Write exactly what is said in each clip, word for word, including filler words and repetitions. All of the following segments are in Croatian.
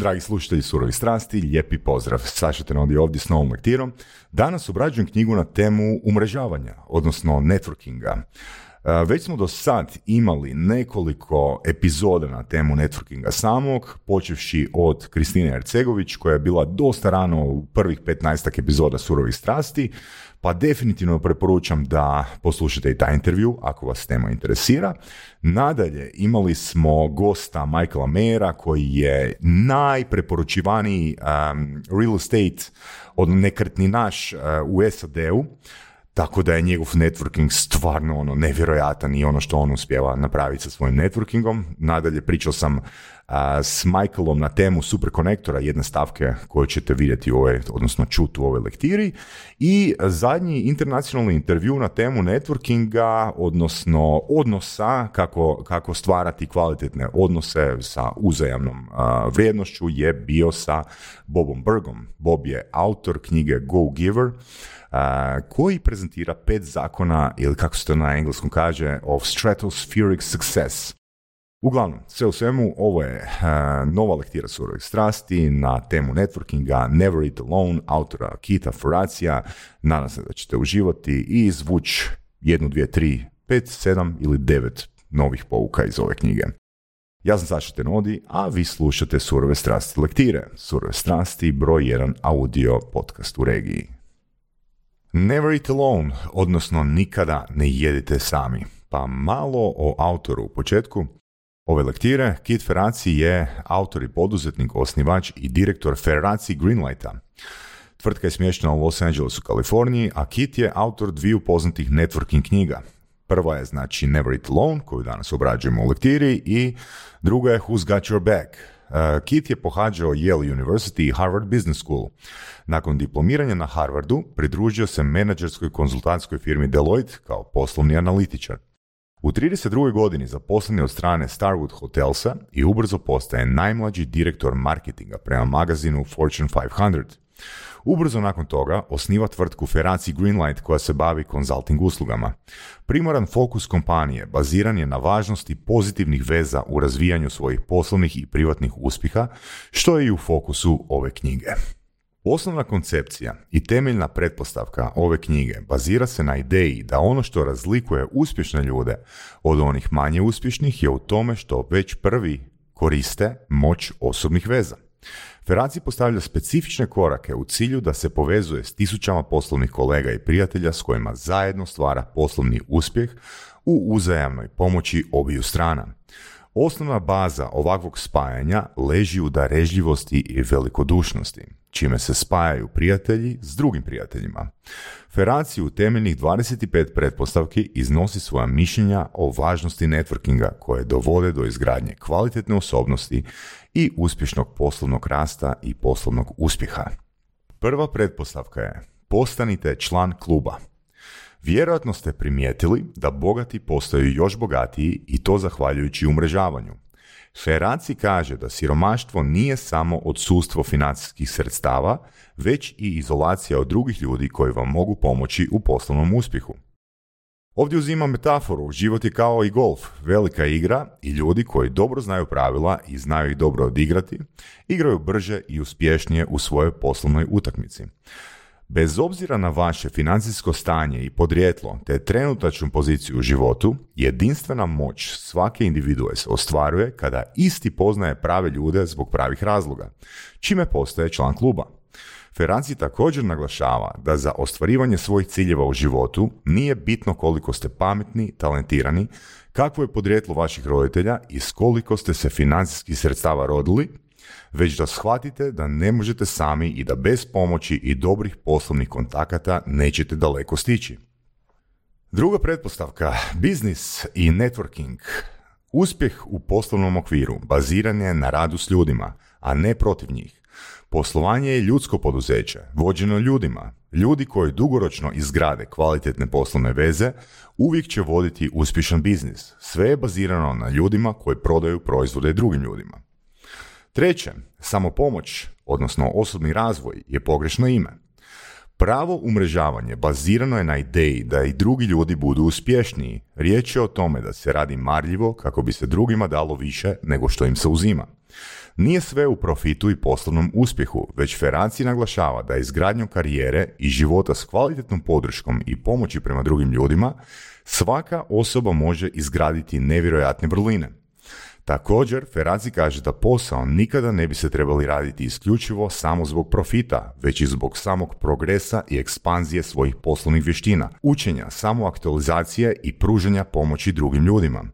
Dragi slušatelji Surovih strasti, lijepi pozdrav. Saša Tenodi ovdje s novom lektirom. Danas obrađujem knjigu na temu umrežavanja, odnosno networkinga. Već smo do sad imali nekoliko epizoda na temu networkinga samog, počevši od Kristine Ercegović, koja je bila dosta rano u prvih petnaestak epizoda Surovih strasti, pa definitivno preporučam da poslušate i taj intervju ako vas tema interesira. Nadalje, imali smo gosta Michaela Mayera, koji je najpreporučivaniji um, real estate od nekretninaš uh, u S A D-u, tako da je njegov networking stvarno ono nevjerojatan i ono što on uspijeva napraviti sa svojim networkingom. Nadalje pričao sam uh, s Michaelom na temu superkonektora, jedne stavke koju ćete vidjeti u ovoj, odnosno čuti u ovoj lektiri. I zadnji internacionalni intervju na temu networkinga, odnosno odnosa, kako, kako stvarati kvalitetne odnose sa uzajamnom uh, vrijednošću, je bio sa Bobom Burgom. Bob je autor knjige Go Giver, Uh, koji prezentira pet zakona, ili kako se to na engleskom kaže, of stratospheric success. Uglavnom, sve u svemu, ovo je uh, nova lektira Surovih strasti na temu networkinga, Never Eat Alone, autora Kita Faracija. Nadam se da ćete uživati i izvući jednu, dvije, tri, pet, sedam ili devet novih pouka iz ove knjige. Ja sam Saša Tenodi, a vi slušate Surove strasti lektire. Surove strasti, broj jedan audio podcast u regiji. Never eat alone, odnosno nikada ne jedite sami. Pa malo o autoru u početku ove lektire. Kit Ferrazzi je autor i poduzetnik, osnivač i direktor Ferrazzi Greenlighta. Tvrtka je smještena u Los Angelesu, Kaliforniji, a Kit je autor dviju poznatih networking knjiga. Prva je znači Never Eat Alone, koju danas obrađujemo u lektiri, i druga je Who's Got Your Back. Uh, Kit je pohađao Yale University i Harvard Business School. Nakon diplomiranja na Harvardu pridružio se menadžerskoj konzultantskoj firmi Deloitte kao poslovni analitičar. U trideset drugoj godini zaposlen je od strane Starwood Hotelsa i ubrzo postaje najmlađi direktor marketinga prema magazinu Fortune petsto. Ubrzo nakon toga osniva tvrtku Ferrazzi Greenlight koja se bavi konzulting uslugama. Primaran fokus kompanije baziran je na važnosti pozitivnih veza u razvijanju svojih poslovnih i privatnih uspjeha, što je i u fokusu ove knjige. Osnovna koncepcija i temeljna pretpostavka ove knjige bazira se na ideji da ono što razlikuje uspješne ljude od onih manje uspješnih je u tome što već prvi koriste moć osobnih veza. Ferrazzi postavlja specifične korake u cilju da se povezuje s tisućama poslovnih kolega i prijatelja s kojima zajedno stvara poslovni uspjeh u uzajamnoj pomoći obiju strana. Osnovna baza ovakvog spajanja leži u darežljivosti i velikodušnosti, čime se spajaju prijatelji s drugim prijateljima. Ferrazzi u temeljnih dvadeset pet pretpostavki iznosi svoja mišljenja o važnosti networkinga koje dovode do izgradnje kvalitetne osobnosti i uspješnog poslovnog rasta i poslovnog uspjeha. Prva pretpostavka je: postanite član kluba. Vjerojatno ste primijetili da bogati postaju još bogatiji i to zahvaljujući umrežavanju. Ferrazzi kaže da siromaštvo nije samo odsustvo financijskih sredstava, već i izolacija od drugih ljudi koji vam mogu pomoći u poslovnom uspjehu. Ovdje uzimam metaforu, život je kao i golf, velika igra i ljudi koji dobro znaju pravila i znaju ih dobro odigrati, igraju brže i uspješnije u svojoj poslovnoj utakmici. Bez obzira na vaše financijsko stanje i podrijetlo te trenutačnu poziciju u životu, jedinstvena moć svake individue se ostvaruje kada isti poznaje prave ljude zbog pravih razloga, čime postaje član kluba. Ferrazzi također naglašava da za ostvarivanje svojih ciljeva u životu nije bitno koliko ste pametni, talentirani, kakvo je podrijetlo vaših roditelja i s koliko ste se financijskih sredstava rodili, već da shvatite da ne možete sami i da bez pomoći i dobrih poslovnih kontakata nećete daleko stići. Druga pretpostavka, biznis i networking. Uspjeh u poslovnom okviru baziran je na radu s ljudima, a ne protiv njih. Poslovanje je ljudsko poduzeće, vođeno ljudima. Ljudi koji dugoročno izgrade kvalitetne poslovne veze uvijek će voditi uspješan biznis. Sve je bazirano na ljudima koji prodaju proizvode drugim ljudima. Treće, samopomoć, odnosno osobni razvoj, je pogrešno ime. Pravo umrežavanje bazirano je na ideji da i drugi ljudi budu uspješniji. Riječ je o tome da se radi marljivo kako bi se drugima dalo više nego što im se uzima. Nije sve u profitu i poslovnom uspjehu, već Ferranci naglašava da izgradnjom karijere i života s kvalitetnom podrškom i pomoći prema drugim ljudima svaka osoba može izgraditi nevjerojatne vrline. Također, Ferranci kaže da posao nikada ne bi se trebali raditi isključivo samo zbog profita, već i zbog samog progresa i ekspanzije svojih poslovnih vještina, učenja, samoaktualizacije i pružanja pomoći drugim ljudima.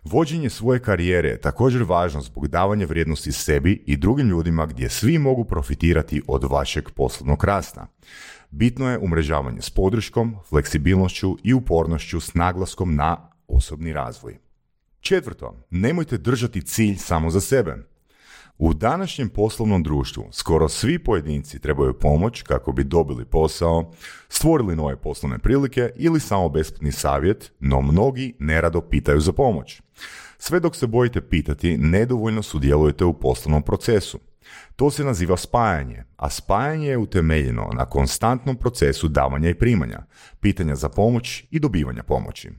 Vođenje svoje karijere je također važno zbog davanja vrijednosti sebi i drugim ljudima gdje svi mogu profitirati od vašeg poslovnog rasta. Bitno je umrežavanje s podrškom, fleksibilnošću i upornošću s naglaskom na osobni razvoj. Četvrto, nemojte držati cilj samo za sebe. U današnjem poslovnom društvu skoro svi pojedinci trebaju pomoć kako bi dobili posao, stvorili nove poslovne prilike ili samo besplatni savjet, no mnogi nerado pitaju za pomoć. Sve dok se bojite pitati, nedovoljno sudjelujete u poslovnom procesu. To se naziva spajanje, a spajanje je utemeljeno na konstantnom procesu davanja i primanja, pitanja za pomoć i dobivanja pomoći.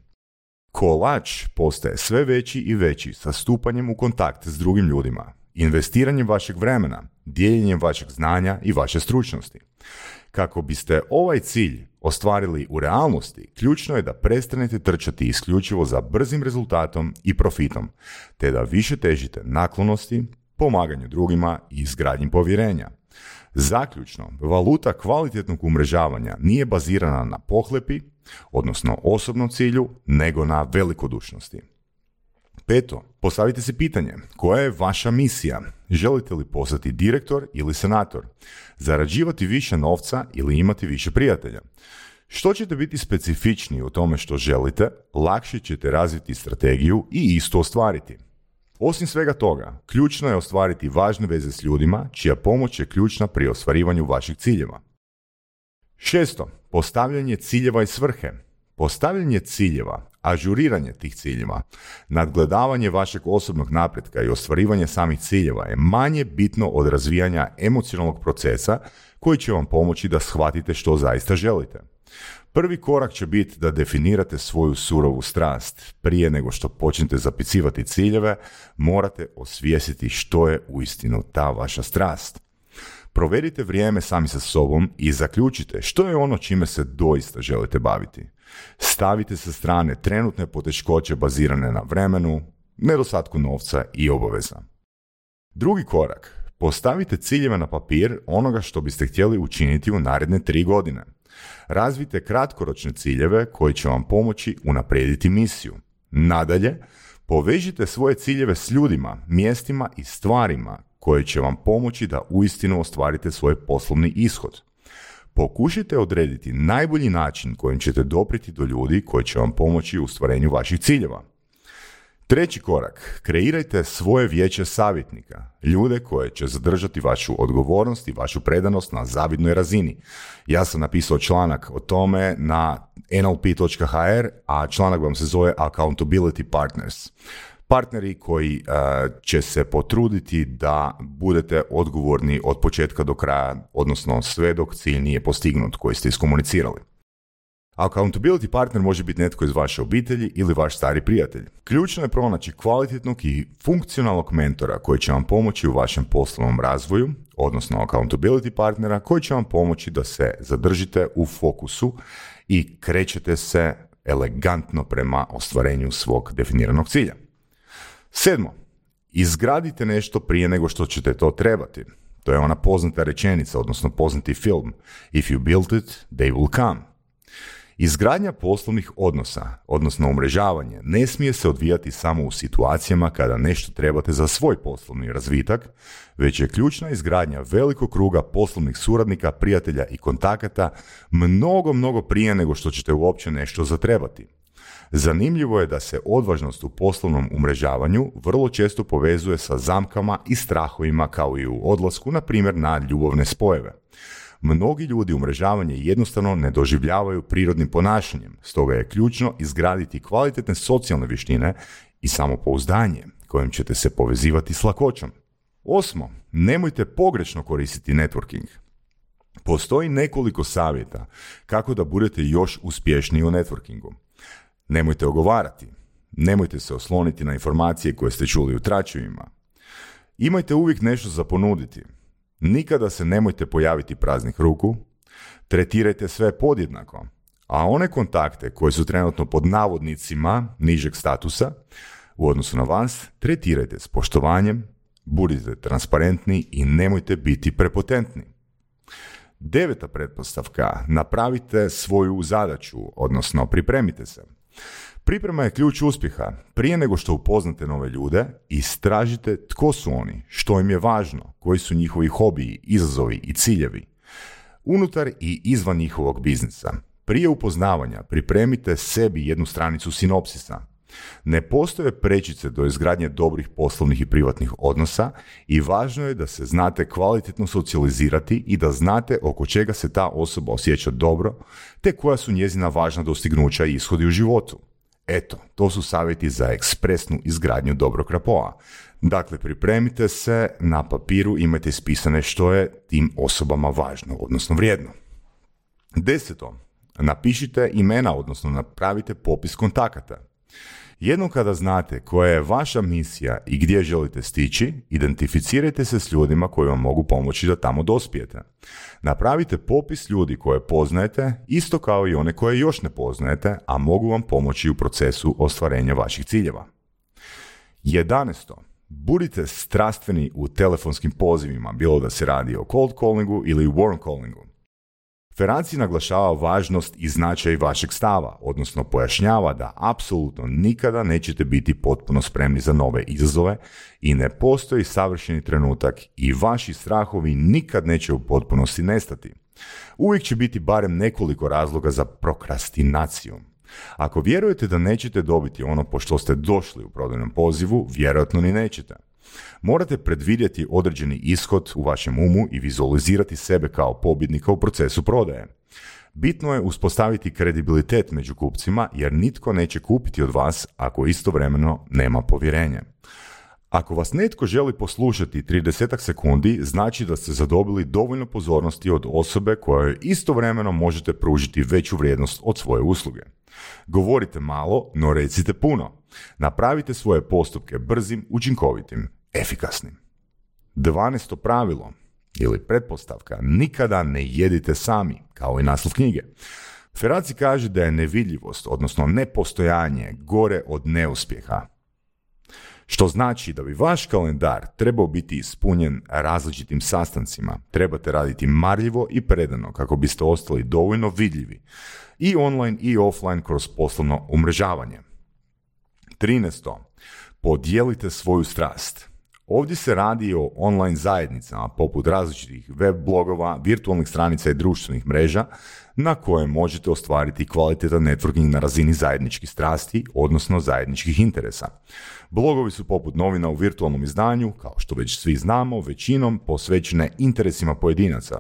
Kolač postaje sve veći i veći sa stupanjem u kontakt s drugim ljudima, investiranjem vašeg vremena, dijeljenjem vašeg znanja i vaše stručnosti. Kako biste ovaj cilj ostvarili u realnosti, ključno je da prestanete trčati isključivo za brzim rezultatom i profitom, te da više težite naklonosti, pomaganju drugima i izgradnji povjerenja. Zaključno, valuta kvalitetnog umrežavanja nije bazirana na pohlepi, odnosno osobnom cilju, nego na velikodušnosti. Peto, postavite si pitanje, koja je vaša misija? Želite li postati direktor ili senator? Zarađivati više novca ili imati više prijatelja? Što ćete biti specifičniji u tome što želite, lakše ćete razviti strategiju i isto ostvariti. Osim svega toga, ključno je ostvariti važne veze s ljudima, čija pomoć je ključna pri ostvarivanju vaših ciljeva. Šesto, postavljanje ciljeva i svrhe. Postavljanje ciljeva, ažuriranje tih ciljeva, nadgledavanje vašeg osobnog napretka i ostvarivanje samih ciljeva je manje bitno od razvijanja emocionalnog procesa koji će vam pomoći da shvatite što zaista želite. Prvi korak će biti da definirate svoju surovu strast. Prije nego što počnete zapisivati ciljeve, morate osvijestiti što je uistinu ta vaša strast. Provedite vrijeme sami sa sobom i zaključite što je ono čime se doista želite baviti. Stavite sa strane trenutne poteškoće bazirane na vremenu, nedostatku novca i obaveza. Drugi korak. Postavite ciljeve na papir onoga što biste htjeli učiniti u naredne tri godine. Razvijte kratkoročne ciljeve koji će vam pomoći unaprijediti misiju. Nadalje, povežite svoje ciljeve s ljudima, mjestima i stvarima koje će vam pomoći da uistinu ostvarite svoj poslovni ishod. Pokušajte odrediti najbolji način kojim ćete doprijeti do ljudi koji će vam pomoći u ostvarenju vaših ciljeva. Treći korak. Kreirajte svoje vijeće savjetnika, ljude koje će zadržati vašu odgovornost i vašu predanost na zavidnoj razini. Ja sam napisao članak o tome na en el pe točka ha er, a članak vam se zove Accountability Partners. Partneri koji uh, će se potruditi da budete odgovorni od početka do kraja, odnosno sve dok cilj nije postignut koji ste iskomunicirali. Accountability partner može biti netko iz vaše obitelji ili vaš stari prijatelj. Ključno je pronaći kvalitetnog i funkcionalnog mentora koji će vam pomoći u vašem poslovnom razvoju, odnosno accountability partnera koji će vam pomoći da se zadržite u fokusu i krećete se elegantno prema ostvarenju svog definiranog cilja. Sedmo, izgradite nešto prije nego što ćete to trebati. To je ona poznata rečenica, odnosno poznati film. If you build it, they will come. Izgradnja poslovnih odnosa, odnosno umrežavanje, ne smije se odvijati samo u situacijama kada nešto trebate za svoj poslovni razvitak, već je ključna izgradnja velikog kruga poslovnih suradnika, prijatelja i kontakata mnogo, mnogo prije nego što ćete uopće nešto zatrebati. Zanimljivo je da se odvažnost u poslovnom umrežavanju vrlo često povezuje sa zamkama i strahovima kao i u odlasku, na primjer, na ljubavne spojeve. Mnogi ljudi umrežavanje jednostavno ne doživljavaju prirodnim ponašanjem, stoga je ključno izgraditi kvalitetne socijalne vještine i samopouzdanje kojim ćete se povezivati s lakoćom. Osmo, nemojte pogrešno koristiti networking. Postoji nekoliko savjeta kako da budete još uspješniji u networkingu. Nemojte ogovarati. Nemojte se osloniti na informacije koje ste čuli u tračevima. Imajte uvijek nešto za ponuditi. Nikada se nemojte pojaviti praznih ruku. Tretirajte sve podjednako. A one kontakte koje su trenutno pod navodnicima nižeg statusa u odnosu na vas, tretirajte s poštovanjem, budite transparentni i nemojte biti prepotentni. Deveta pretpostavka, napravite svoju zadaću, odnosno pripremite se. Priprema je ključ uspjeha. Prije nego što upoznate nove ljude, istražite tko su oni, što im je važno, koji su njihovi hobiji, izazovi i ciljevi. Unutar i izvan njihovog biznisa. Prije upoznavanja pripremite sebi jednu stranicu sinopsisa. Ne postoje prečice do izgradnje dobrih poslovnih i privatnih odnosa i važno je da se znate kvalitetno socijalizirati i da znate oko čega se ta osoba osjeća dobro, te koja su njezina važna dostignuća i ishodi u životu. Eto, to su savjeti za ekspresnu izgradnju dobrog rapoa. Dakle, pripremite se, na papiru imajte ispisane što je tim osobama važno, odnosno vrijedno. Deseto, napišite imena, odnosno napravite popis kontakata. Jednom kada znate koja je vaša misija i gdje želite stići, identificirajte se s ljudima koji vam mogu pomoći da tamo dospijete. Napravite popis ljudi koje poznajete, isto kao i one koje još ne poznajete, a mogu vam pomoći u procesu ostvarenja vaših ciljeva. Jedanaesto. Budite strastveni u telefonskim pozivima, bilo da se radi o cold callingu ili warm callingu. Ferranci naglašava važnost i značaj vašeg stava, odnosno pojašnjava da apsolutno nikada nećete biti potpuno spremni za nove izazove i ne postoji savršeni trenutak i vaši strahovi nikad neće u potpunosti nestati. Uvijek će biti barem nekoliko razloga za prokrastinaciju. Ako vjerujete da nećete dobiti ono po što ste došli u prodajnom pozivu, vjerojatno ni nećete. Morate predvidjeti određeni ishod u vašem umu i vizualizirati sebe kao pobjednika u procesu prodaje. Bitno je uspostaviti kredibilitet među kupcima jer nitko neće kupiti od vas ako istovremeno nema povjerenja. Ako vas netko želi poslušati trideset sekundi, znači da ste zadobili dovoljno pozornosti od osobe kojoj istovremeno možete pružiti veću vrijednost od svoje usluge. Govorite malo, no recite puno. Napravite svoje postupke brzim, učinkovitim, efikasnim. dvanaesto pravilo ili pretpostavka, nikada ne jedite sami, kao i naslov knjige. Ferranci kaže da je nevidljivost, odnosno nepostojanje, gore od neuspjeha. Što znači da bi vaš kalendar trebao biti ispunjen različitim sastancima. Trebate raditi marljivo i predano kako biste ostali dovoljno vidljivi i online i offline kroz poslovno umrežavanje. trinaesto. Podijelite svoju strast. Ovdje se radi o online zajednicama poput različitih web blogova, virtualnih stranica i društvenih mreža na koje možete ostvariti kvalitetan networking na razini zajedničkih strasti, odnosno zajedničkih interesa. Blogovi su poput novina u virtualnom izdanju, kao što već svi znamo, većinom posvećene interesima pojedinaca,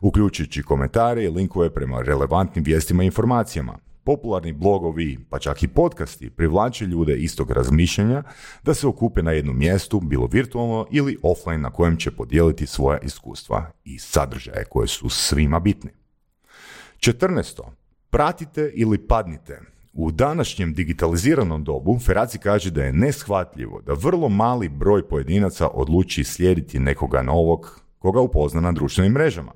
uključujući komentare i linkove prema relevantnim vijestima i informacijama. Popularni blogovi, pa čak i podcasti, privlače ljude istog razmišljanja da se okupe na jednom mjestu, bilo virtualno ili offline, na kojem će podijeliti svoja iskustva i sadržaje koje su svima bitni. četrnaesto. Pratite ili padnite. U današnjem digitaliziranom dobu Ferranci kaže da je neshvatljivo da vrlo mali broj pojedinaca odluči slijediti nekoga novog koga upozna na društvenim mrežama,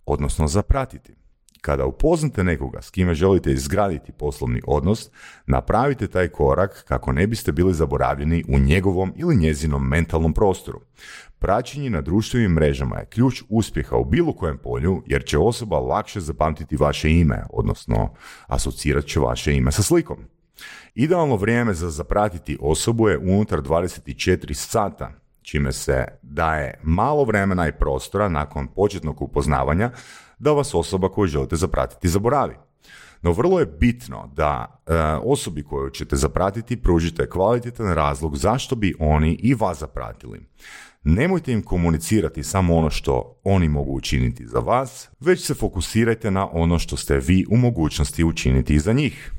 odnosno zapratiti. Kada upoznate nekoga s kime želite izgraditi poslovni odnos, napravite taj korak kako ne biste bili zaboravljeni u njegovom ili njezinom mentalnom prostoru. Praćenje na društvenim mrežama je ključ uspjeha u bilo kojem polju jer će osoba lakše zapamtiti vaše ime, odnosno asocirat će vaše ime sa slikom. Idealno vrijeme za zapratiti osobu je unutar dvadeset četiri sata, čime se daje malo vremena i prostora nakon početnog upoznavanja da vas osoba koju želite zapratiti zaboravi. No vrlo je bitno da e, osobi koju ćete zapratiti pružite kvalitetan razlog zašto bi oni i vas zapratili. Nemojte im komunicirati samo ono što oni mogu učiniti za vas, već se fokusirajte na ono što ste vi u mogućnosti učiniti za njih.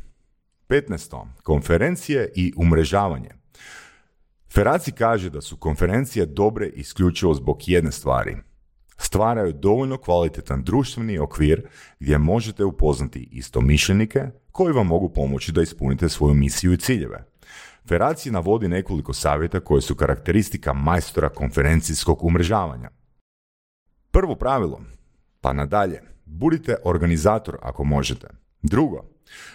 petnaesto. Konferencije i umrežavanje. Ferranci kaže da su konferencije dobre isključivo zbog jedne stvari. Stvaraju dovoljno kvalitetan društveni okvir gdje možete upoznati istomišljenike koji vam mogu pomoći da ispunite svoju misiju i ciljeve. Ferraci navodi nekoliko savjeta koji su karakteristika majstora konferencijskog umrežavanja. Prvo pravilo, pa nadalje, budite organizator ako možete. Drugo,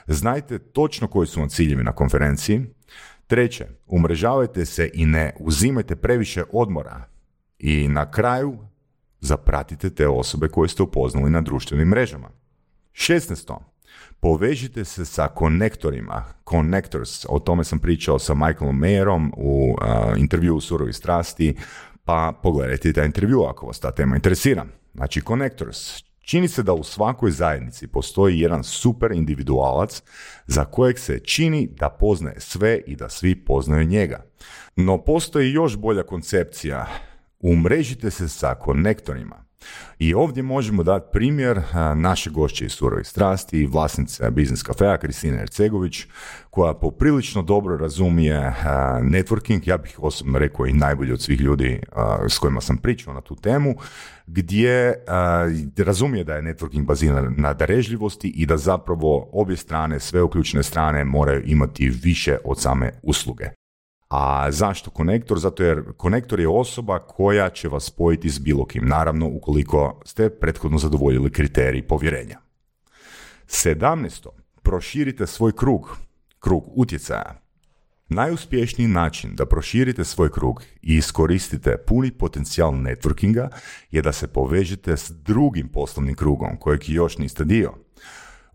znajte točno koji su vam ciljevi na konferenciji. Treće, umrežavajte se i ne uzimajte previše odmora. I na kraju, zapratite te osobe koje ste upoznali na društvenim mrežama. šesnaesto. Povežite se sa konektorima, connectors, o tome sam pričao sa Michaelom Mayerom u uh, intervjuu u Surovi strasti, pa pogledajte taj intervju ako vas ta tema interesira. Znači, connectors. Čini se da u svakoj zajednici postoji jedan super individualac za kojeg se čini da poznaje sve i da svi poznaju njega. No postoji još bolja koncepcija. Umrežite se sa konektorima. I ovdje možemo dati primjer naše gošće iz Surovih strasti, vlasnice Biznis Cafea, Kristina Ercegović, koja poprilično dobro razumije networking, ja bih osobno rekao i najbolji od svih ljudi s kojima sam pričao na tu temu, gdje razumije da je networking baziran na darežljivosti i da zapravo obje strane, sve uključene strane, moraju imati više od same usluge. A zašto konektor? Zato jer konektor je osoba koja će vas spojiti s bilo kim, naravno ukoliko ste prethodno zadovoljili kriterij povjerenja. sedamnaesto. Proširite svoj krug, krug utjecaja. Najuspješniji način da proširite svoj krug i iskoristite puni potencijal networkinga je da se povežete s drugim poslovnim krugom kojeg još niste dio.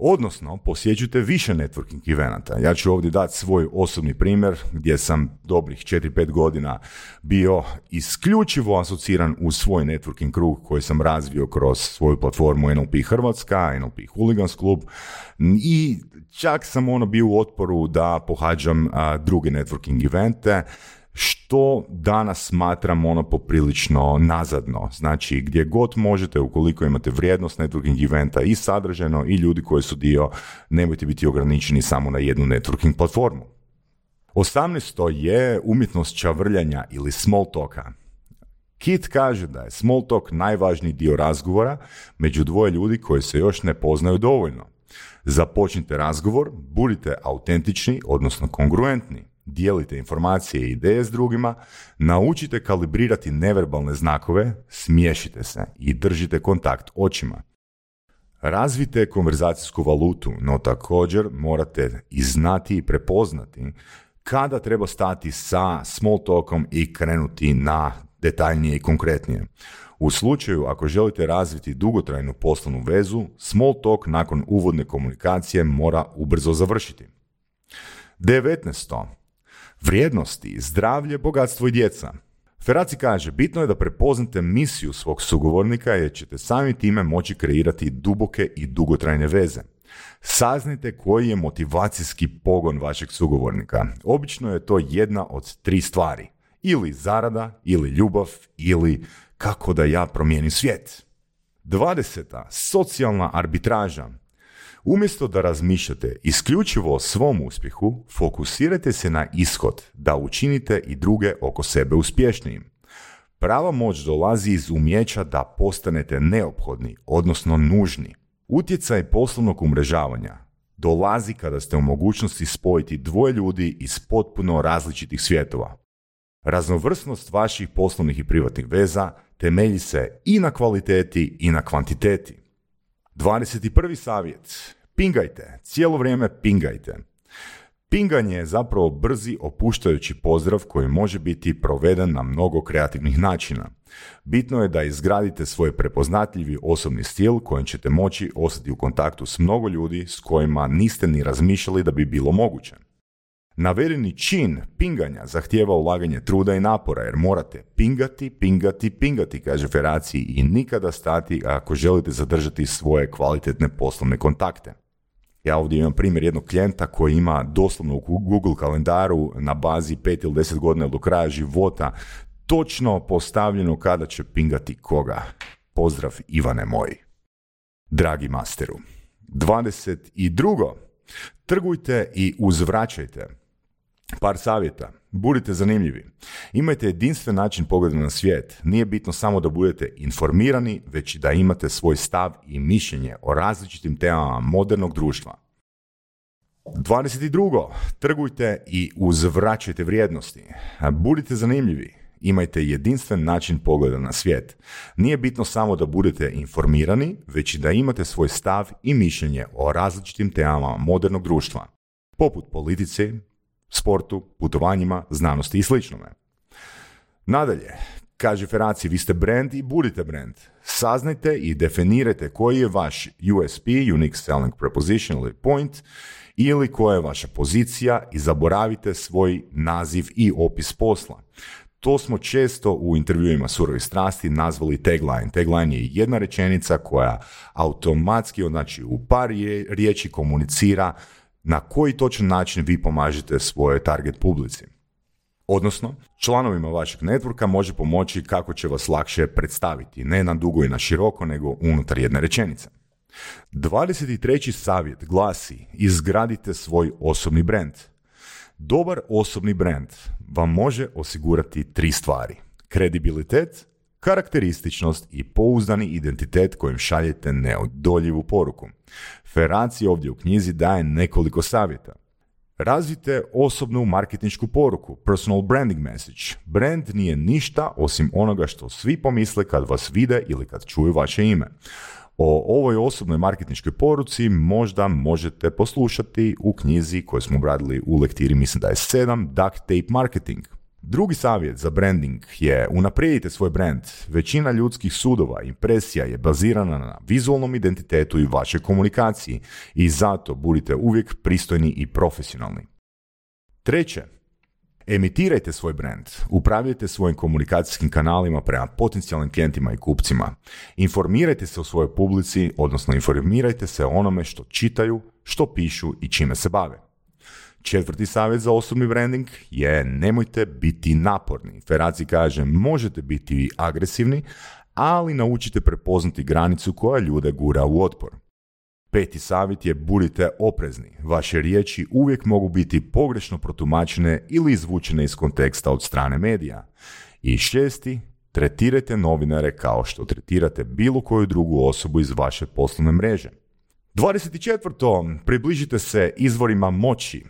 Odnosno, posjećujte više networking evenata. Ja ću ovdje dati svoj osobni primjer gdje sam dobrih četiri pet godina bio isključivo asociran u svoj networking krug koji sam razvio kroz svoju platformu N L P Hrvatska, N L P Hooligans klub i čak sam ono bio u otporu da pohađam a, druge networking evente, što danas smatram ono poprilično nazadno. Znači, gdje god možete, ukoliko imate vrijednost networking eventa i sadržajno i ljudi koji su dio, nemojte biti ograničeni samo na jednu networking platformu. osamnaesto je umjetnost čavrljanja ili small talka. Kit kaže da je small talk najvažniji dio razgovora među dvoje ljudi koji se još ne poznaju dovoljno. Započnite razgovor, budite autentični, odnosno kongruentni. Dijelite informacije i ideje s drugima, naučite kalibrirati neverbalne znakove, smiješite se i držite kontakt očima. Razvijte konverzacijsku valutu, no također morate i znati i prepoznati kada treba stati sa small talkom i krenuti na detaljnije i konkretnije. U slučaju ako želite razviti dugotrajnu poslovnu vezu, small talk nakon uvodne komunikacije mora ubrzo završiti. devetnaesto. Vrijednosti, zdravlje, bogatstvo i djeca. Ferraci kaže, bitno je da prepoznate misiju svog sugovornika jer ćete samim time moći kreirati duboke i dugotrajne veze. Saznajte koji je motivacijski pogon vašeg sugovornika. Obično je to jedna od tri stvari. Ili zarada, ili ljubav, ili kako da ja promijenim svijet. dvadeseta. Socijalna arbitraža. Umjesto da razmišljate isključivo o svom uspjehu, fokusirajte se na ishod, da učinite i druge oko sebe uspješnijim. Prava moć dolazi iz umjeća da postanete neophodni, odnosno nužni. Utjecaj poslovnog umrežavanja dolazi kada ste u mogućnosti spojiti dvoje ljudi iz potpuno različitih svjetova. Raznovrsnost vaših poslovnih i privatnih veza temelji se i na kvaliteti i na kvantiteti. dvadeset prvi savjet. Pingajte. Cijelo vrijeme pingajte. Pinganje je zapravo brzi opuštajući pozdrav koji može biti proveden na mnogo kreativnih načina. Bitno je da izgradite svoj prepoznatljivi osobni stil kojim ćete moći ostati u kontaktu s mnogo ljudi s kojima niste ni razmišljali da bi bilo moguće. Navedeni čin pinganja zahtijeva ulaganje truda i napora jer morate pingati, pingati, pingati, kaže Ferraci, i nikada stati ako želite zadržati svoje kvalitetne poslovne kontakte. Ja ovdje imam primjer jednog klijenta koji ima doslovno u Google kalendaru na bazi pet ili deset godina do kraja života točno postavljeno kada će pingati koga. Pozdrav Ivane moj. Dragi masteru. dvadeset drugo. Trgujte i uzvraćajte. Par savjeta. Budite zanimljivi. Imajte jedinstven način pogleda na svijet. Nije bitno samo da budete informirani, već i da imate svoj stav i mišljenje o različitim temama modernog društva. dvadeset drugo. Trgujte i uzvraćajte vrijednosti. Budite zanimljivi. Imajte jedinstven način pogleda na svijet. Nije bitno samo da budete informirani, već i da imate svoj stav i mišljenje o različitim temama modernog društva, poput politici, sportu, putovanjima, znanosti i sličnome. Nadalje, kaže Ferraci, vi ste brand i budite brand. Saznajte i definirajte koji je vaš U S P, Unique Selling Proposition ili point, ili koja je vaša pozicija i zaboravite svoj naziv i opis posla. To smo često u intervjuima Surovih strasti nazvali tagline. Tagline je jedna rečenica koja automatski, znači u par riječi komunicira na koji točan način vi pomažete svojoj target publici. Odnosno, članovima vašeg networka može pomoći kako će vas lakše predstaviti, ne na dugo i na široko, nego unutar jedne rečenice. dvadeset treći savjet glasi: izgradite svoj osobni brand. Dobar osobni brand vam može osigurati tri stvari: kredibilitet, karakterističnost i pouzdani identitet kojim šaljete neodoljivu poruku. Ferraci ovdje u knjizi daje nekoliko savjeta. Razvijte osobnu marketinšku poruku, personal branding message. Brand nije ništa osim onoga što svi pomisle kad vas vide ili kad čuju vaše ime. O ovoj osobnoj marketinškoj poruci možda možete poslušati u knjizi koju smo obradili u lektiri, mislim da je sedam, Duct Tape Marketing. Drugi savjet za branding je: unaprijedite svoj brand. Većina ljudskih sudova, impresija je bazirana na vizualnom identitetu i vašoj komunikaciji i zato budite uvijek pristojni i profesionalni. Treće, emitirajte svoj brand. Upravljajte svojim komunikacijskim kanalima prema potencijalnim klijentima i kupcima. Informirajte se o svojoj publici, odnosno informirajte se o onome što čitaju, što pišu i čime se bave. Četvrti savjet za osobni branding je: nemojte biti naporni. Ferraci kaže: možete biti agresivni, ali naučite prepoznati granicu koja ljude gura u otpor. Peti savjet je: budite oprezni. Vaše riječi uvijek mogu biti pogrešno protumačene ili izvučene iz konteksta od strane medija. I šesti, tretirajte novinare kao što tretirate bilo koju drugu osobu iz vaše poslovne mreže. dvadeset četvrto. Približite se izvorima moći.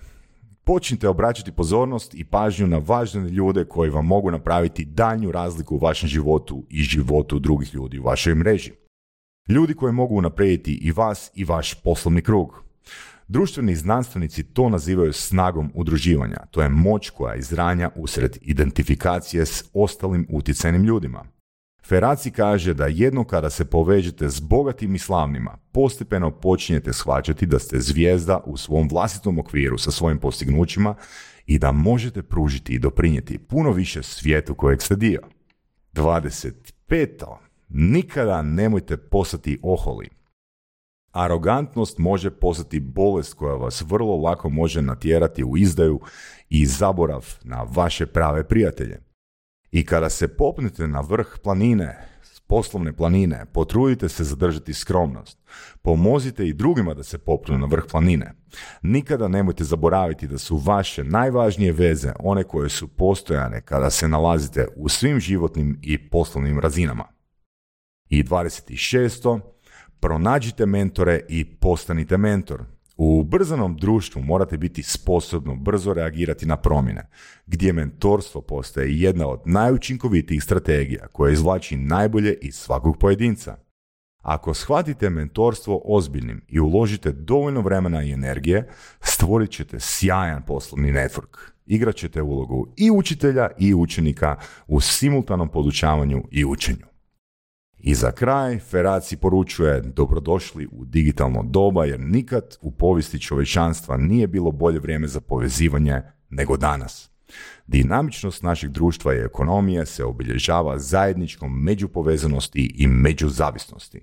Počnite obraćati pozornost i pažnju na važne ljude koji vam mogu napraviti daljnju razliku u vašem životu i životu drugih ljudi u vašoj mreži. Ljudi koji mogu unaprijediti i vas i vaš poslovni krug. Društveni znanstvenici to nazivaju snagom udruživanja. To je moć koja izranja usred identifikacije s ostalim utjecajnim ljudima. Ferraci kaže da jedno kada se povežete s bogatim i slavnima, postepeno počinjete shvaćati da ste zvijezda u svom vlastitom okviru sa svojim postignućima i da možete pružiti i doprinijeti puno više svijetu kojeg ste dio. dvadeset peto. Nikada nemojte postati oholi. Arogantnost može postati bolest koja vas vrlo lako može natjerati u izdaju i zaborav na vaše prave prijatelje. I kada se popnete na vrh planine, poslovne planine, potrudite se zadržati skromnost. Pomozite i drugima da se popnu na vrh planine. Nikada nemojte zaboraviti da su vaše najvažnije veze one koje su postojane kada se nalazite u svim životnim i poslovnim razinama. I dvadeset šesto. Pronađite mentore i postanite mentor. U ubrzanom društvu morate biti sposobno brzo reagirati na promjene, gdje mentorstvo postaje jedna od najučinkovitijih strategija koja izvlači najbolje iz svakog pojedinca. Ako shvatite mentorstvo ozbiljnim i uložite dovoljno vremena i energije, stvorit ćete sjajan poslovni network. Igrat ćete ulogu i učitelja i učenika u simultanom podučavanju i učenju. I za kraj, Ferraci poručuje: dobrodošli u digitalno doba, jer nikad u povijesti čovječanstva nije bilo bolje vrijeme za povezivanje nego danas. Dinamičnost našeg društva i ekonomije se obilježava zajedničkom međupovezanosti i međuzavisnosti.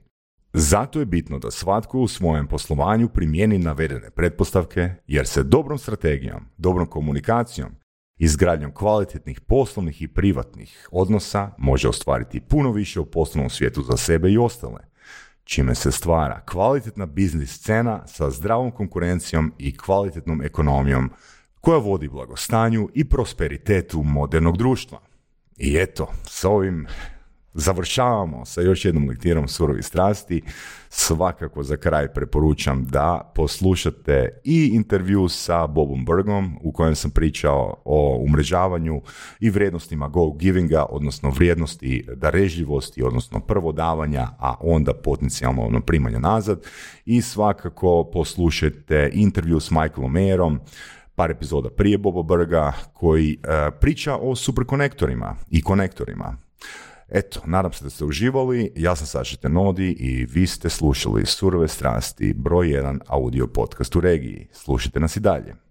Zato je bitno da svatko u svojem poslovanju primijeni navedene pretpostavke, jer se dobrom strategijom, dobrom komunikacijom, izgradnjom kvalitetnih poslovnih i privatnih odnosa može ostvariti puno više u poslovnom svijetu za sebe i ostale, čime se stvara kvalitetna biznis scena sa zdravom konkurencijom i kvalitetnom ekonomijom koja vodi blagostanju i prosperitetu modernog društva. I eto, s ovim završavamo sa još jednom lektirom Surovi strasti. Svakako za kraj preporučam da poslušate i intervju sa Bobom Burgom u kojem sam pričao o umrežavanju i vrijednostima go-givinga, odnosno vrijednosti darežljivosti, odnosno prvo davanja, a onda potencijalno primanja nazad. I svakako poslušajte intervju s Michaelom Mayerom, par epizoda prije Boba Burga, koji uh, priča o superkonektorima i konektorima. Eto, nadam se da ste uživali, ja sam Saša Tenodi i vi ste slušali Surove strasti, broj jedan audio podcast u regiji. Slušajte nas i dalje.